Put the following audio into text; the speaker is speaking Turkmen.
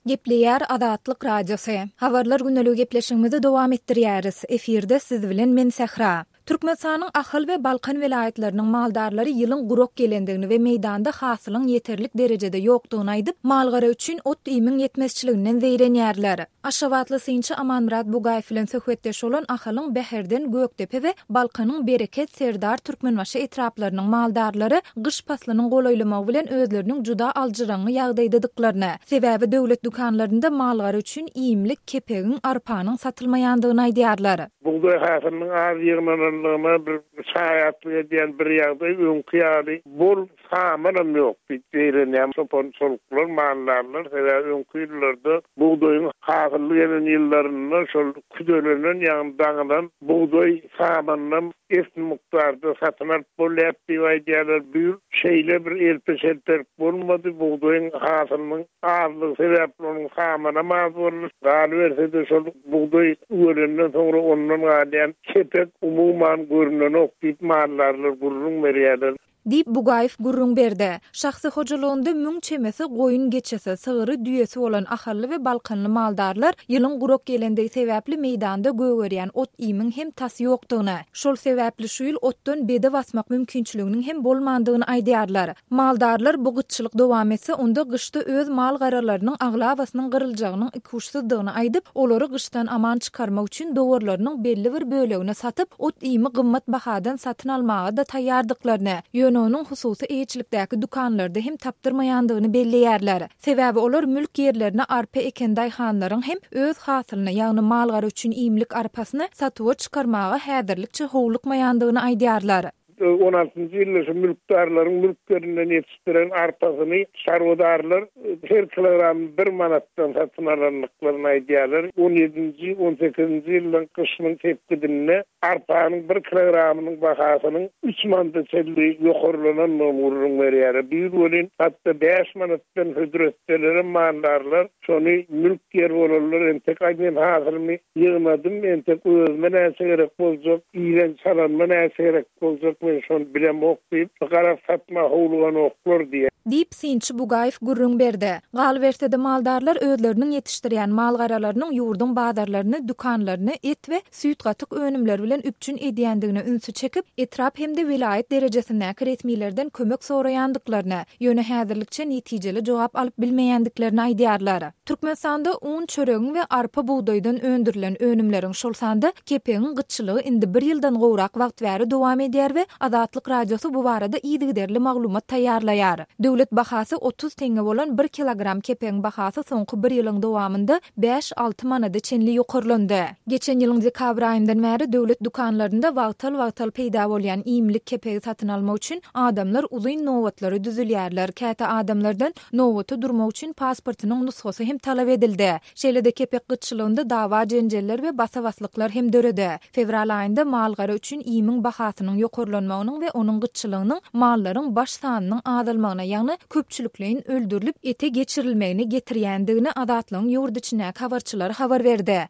Gepleýär Azatlyk Radiosy. Habarlar gündeligi gepleşigimizi dowam etdirýäris. Efirde siz bilen men Sähra. Türkmenistanyň Ahal we Balkan welaýatlarynyň maldarlary ýylyň gurak gelendigini we meýdanda hasylyň ýeterlik derejede ýokdugyny aýdyp, mal-gara üçin ot-iýmiň ýetmezçiliginden zeýrenýärler. Aşgabatly synçy Amanmyrat Bugaýew bilen söhbetdeş bolan Ahalyň Bäherden, Gökdepe we Balkanyň Bereket, Serdar, Türkmenbaşy etraplarynyň maldarlary gyş paslynyň golaýlamagy bilen özleriniň juda aljyraňňy ýagdaýdadyklaryny, sebäbi döwlet dükanlarynda mal-gara üçin iýmlik kepegiň, arpanyň satylmaýandygyny aýdýarlar. Bugdaý hasylynyň az ýygnananlygyna bir şaýatlyk edýän bir ýagdaý öňki ýaly bol samanam ýok diýip zeýrenýän çopan-çoluklar, maldarlar, sebäbi öňki ýyllarda bugdaýyň hasylly gelen ýyllarynda şol küdelenen, ýagny daňylan bugdaý samanynam esli mukdarda satyn alyp bolýardy diýip aýdýarlar. Bu ýyl şeýle bir elpe-şelpelik bolmady, bugdaýyň hasylynyň azlygy sebäpli onuň samanam az boldy. Galyberse-de şol bugdaý üwelenden soňra ondan galýan kepek umuman görnenok diýip maldarlar gürrüň berýärler. Diýip, Bugaýew gürrüň berdi. Şahsy hojalygynda müň çemesi goýun-geçisi, sygyry, düýesi bolan ahally we balkanly maldarlar ýylyň gurak gelendigi sebäpli meýdanda gögerýän ot-iýmiň hem tas ýokdugyny, şol sebäpli şu ýyl otdan bede basmak mümkinçiliginiň hem bolmandygyny aýdýarlar. Maldarlar bu gytçylyk dowam etse, onda gyşda öz mal-garalarynyň aglabasynyň gyryljagynyň ikuçsuzdygyny aýdyp, olary gyşdan aman çykarmak üçin dowarlarynyň belli bir bölegini satyp, ot-iými gymmat bahadan satyn almaga-da taýýardyklaryny, ýöne onuň hususy eýeçilikdäki dükanlarda hem tapdyrmaýandygyny belleýärler. Sebäbi olar mülk ýerlerine arpa eken daýhanlaryň hem öz hasylyny, ýagny mal-gara üçin iýmlik arpasyny satuwa çykarmaga häzirlikçe howlukmaýandygyny aýdýarlar. On altynjy ýylda şu mülkdarlaryň mülk ýerinden ýetişdiren arpasyny çarwadarlar her kilogramyny bir manatdan satyn alandyklaryny aýdýarlar. On ýedinji, on sekizinji ýyllaryň gyşynyň sepgidinde arpanyň bir kilogramynyň bahasynyň üç manada çenli ýokarlanandygyny gürrüň berýärler. Bu ýyl welin hatda bäş manatdan hödür etselerem maldarlar şony mülk ýer bolanlar entek aý men hasylymy Ýygnadym, entek özüme näçe gerek boljak, iýen çalanyma näçe gerek boljak, men şony bilemok diýip, garaz satma howluganoklar diýýär. Diýip, synçy Bugaýew gürrüň berdi. Galyberse-de, maldarlar özleriniň ýetişdirýän mal-garalarynyň ýurduň bazarlaryny, dükanlaryny et we süýt-gatyk önümleri bilen üpjün edýändigine ünsi çekip, etrap hem-de welaýat derejesindäki resmilerden kömek soraýandyklaryny, ýöne häzirlikçe netijeli jogap alyp bilmeýändiklerini aýdýarlar. Türkmenistanda un, çöregiň we arpa-bugdaýdan öndürilen önümleriň, şol sanda kepegiň gytçylygy indi bir ýyldan gowrak wagt bäri dowam edýär we Azatlyk Radiosy bu barada yzygiderli maglumat taýýarlaýar. Döwlet bahasy 30 teňňe bolan bir kilogram kepegiň bahasy soňky bir ýylyň dowamynda bäş-alty manada çenli ýokarlandy. Geçen ýylyň dekabr aýyndan bäri döwlet dükanlarynda wagtal-wagtal peýda bolýan iýmlik kepegi satyn almak üçin adamlar uzyn nobatlara düzülýärler, käte adamlardan Nobata durmak üçin pasportynyň nusgasy hem talap edildi. Şeýle-de kepek gytçylygynda dawa-jenjeller we basa-baslyklar hem döredi. Fewral aýynda mal-gara üçin iýmiň bahasynyň ýokarlanmagynyň we onuň gytçylygynyň mallaryň baş sanynyň azalmagyna, ýagny köpçülikleýin öldürilip ete geçirilmegine getirýändigini Azatlygyň ýurt içindäki habarçylary habar berdi.